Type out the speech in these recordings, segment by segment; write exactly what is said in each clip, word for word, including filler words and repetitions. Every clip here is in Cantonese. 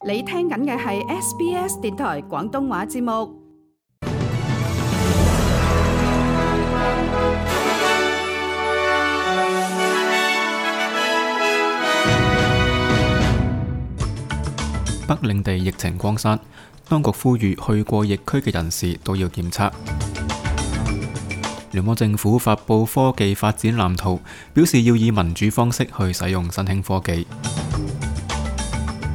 你聽緊嘅係 S B S 電台廣東話節目。北領地疫情擴散，當局呼籲去過疫區嘅人士都要檢測。聯邦政府發布科技發展藍圖，表示要以民主方式去使用新興科技。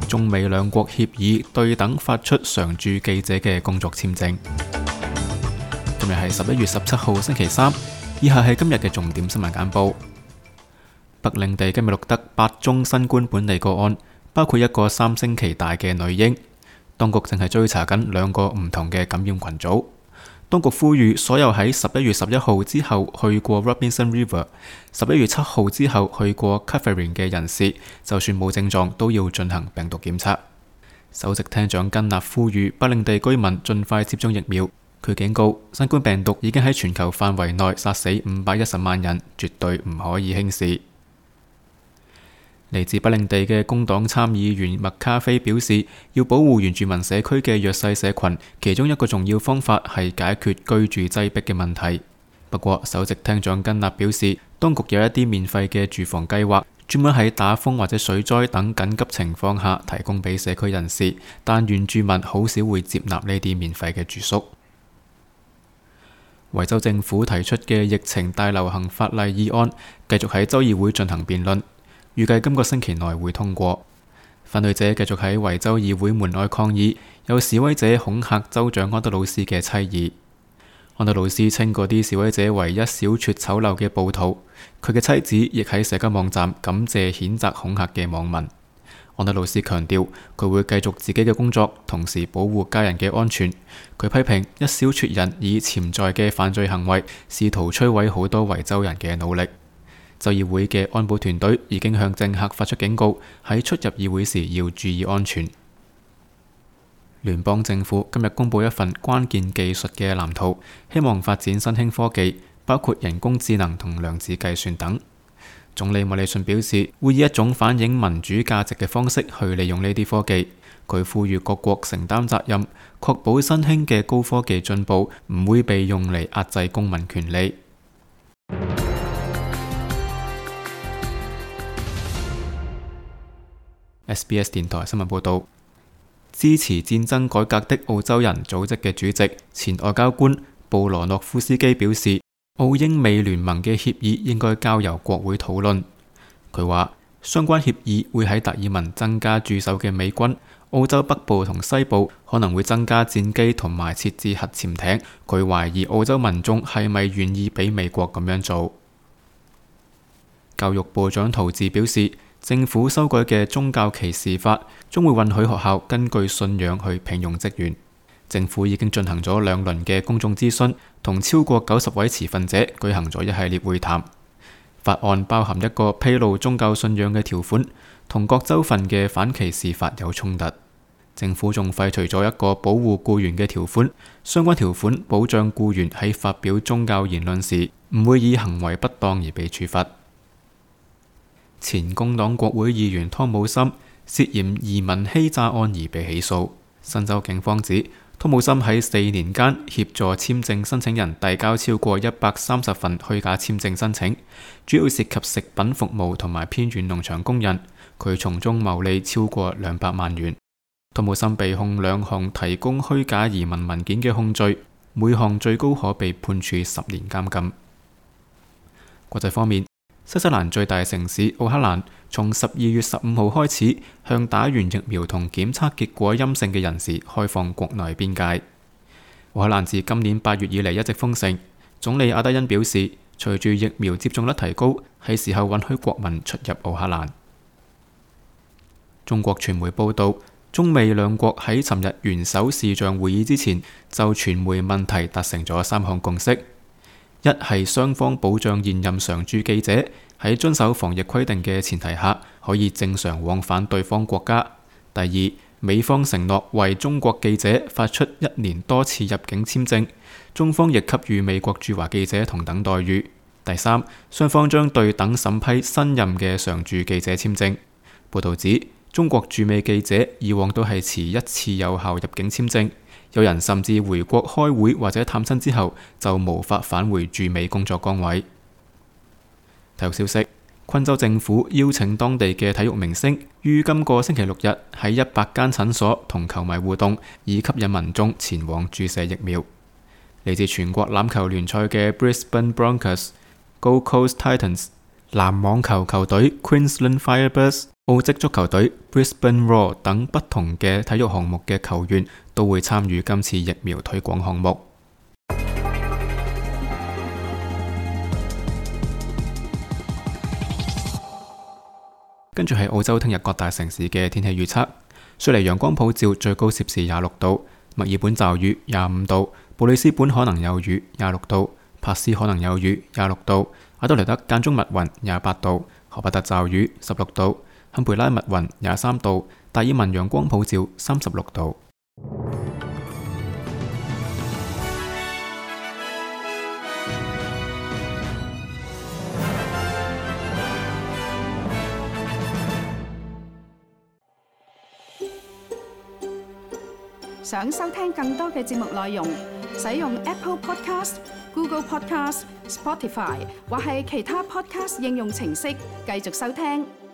中美兩國協議對等發出常駐記者嘅工作簽證。今日係十一月十七號星期三，以下係今日嘅重點新聞簡報。北領地今日錄得八宗新冠本地個案，包括一個三星期大嘅女嬰。當局正係追查緊兩個唔同嘅感染群組。當局呼籲所有喺十一月十一號之後去過 Robinson River、十一月七號之後去過 Catherine 嘅人士，就算冇症狀都要進行病毒檢測。首席廳長根納呼籲北領地居民盡快接種疫苗。佢警告，新冠病毒已經喺全球範圍內殺死五百一十萬人，絕對唔可以輕視。嚟自北領地嘅工黨參議員麥卡菲表示，要保護原住民社區嘅弱勢社群，其中一個重要方法係解決居住擠迫嘅問題。不過，首席廳長根納表示，當局有一啲免費嘅住房計劃，專門喺打風或者水災等緊急情況下提供俾社區人士，但原住民好少會接納呢啲免費嘅住宿。維州政府提出嘅疫情大流行法例議案，繼續喺州議會進行辯論。預計今個星期內會通過。反對者繼續喺維州議會門外抗議，有示威者恐嚇州長安德魯斯嘅妻兒。安德魯斯稱嗰啲示威者為一小撮醜陋嘅暴徒。佢嘅妻子亦喺社交網站感謝譴責恐嚇嘅網民。安德魯斯強調佢會繼續自己嘅工作，同時保護家人嘅安全。佢批評一小撮人以潛在嘅犯罪行為試圖摧毀好多維州人嘅努力。州議會嘅安保團隊已經向政客發出警告，喺出入議會時要注意安全。聯邦政府今日公布一份關鍵技術嘅藍圖，希望發展新興科技，包括人工智能同量子計算等。總理莫里遜表示，會以一種反映民主價值嘅方式去利用呢啲科技。佢呼籲各國承擔責任，確保新興嘅高科技進步唔會被用嚟壓制公民權利。S B S 電台新聞報道，支持戰爭改革的澳洲人組織嘅主席、前外交官布羅諾夫斯基表示，澳英美聯盟嘅協議應該交由國會討論。佢話，相關協議會喺達爾文增加駐守嘅美軍，澳洲北部同西部可能會增加戰機同埋設置核潛艇。佢懷疑澳洲民眾係咪願意俾美國咁樣做。教育部長陶治表示，政府修改嘅宗教歧視法將會允許學校根據信仰去聘用職員。政府已經進行咗兩輪嘅公眾諮詢，同超過九十位持份者舉行咗一系列會談。法案包含一個披露宗教信仰嘅條款，同各州份嘅反歧視法有衝突。政府仲廢除咗一個保護僱員嘅條款，相關條款保障僱員喺發表宗教言論時唔會以行為不當而被處罰。前工黨國會議員湯姆森涉嫌移民欺詐案而被起訴。新州警方指，湯姆森喺四年間協助簽證申請人遞交超過一百三十份虛假簽證申請，主要涉及食品服務同埋偏遠農場工人。佢從中牟利超過兩百萬元。湯姆森被控兩項提供虛假移民文件嘅控罪，每項最高可被判處十年監禁。國際方面，新西蘭最大城市奧克蘭從十二月十五號開始向打完疫苗同檢測結果陰性嘅人士開放國內邊界。奧克蘭自今年八月以嚟一直封城。總理阿德恩表示，隨住疫苗接種率提高，係時候允許國民出入奧克蘭。中國傳媒報道，中美兩國喺尋日元首視像會議之前，就傳媒問題達成咗三項共識。一係雙方保障現任常駐記者喺遵守防疫規定嘅前提下，可以正常往返對方國家。第二，美方承諾為中國記者發出一年多次入境簽證，中方亦給予美國駐華記者同等待遇。第三，雙方將對等審批新任嘅常駐記者簽證。報導指，中國駐美記者以往都係持一次有效入境簽證，有人甚至回國開會或者探親之後就無法返回駐美工作崗位。體育消息：昆州政府邀請當地嘅體育明星於今個星期六日喺一百間診所同球迷互動，以吸引民眾前往注射疫苗。嚟自全國欖球聯賽嘅 Brisbane Broncos、Gold Coast Titans、籃網球球隊 Queensland Firebirds、澳職足球隊 Brisbane Roar 等不同嘅體育項目嘅球員都會參與今次疫苗推廣項目。跟住係澳洲聽日各大城市嘅天氣預測：雪梨陽光普照，最高攝氏廿六度；墨爾本驟雨廿五度；布里斯本可能有雨廿六度；珀斯可能有雨廿六度；阿德萊德間中密雲廿八度；荷伯特驟雨十六度；堪培拉密雲廿三度；達爾文陽光普照三十六度。想收聽更多嘅節目內容，使用 Apple Podcast、Google Podcast、Spotify 或係其他 Podcast 應用程式繼續收聽。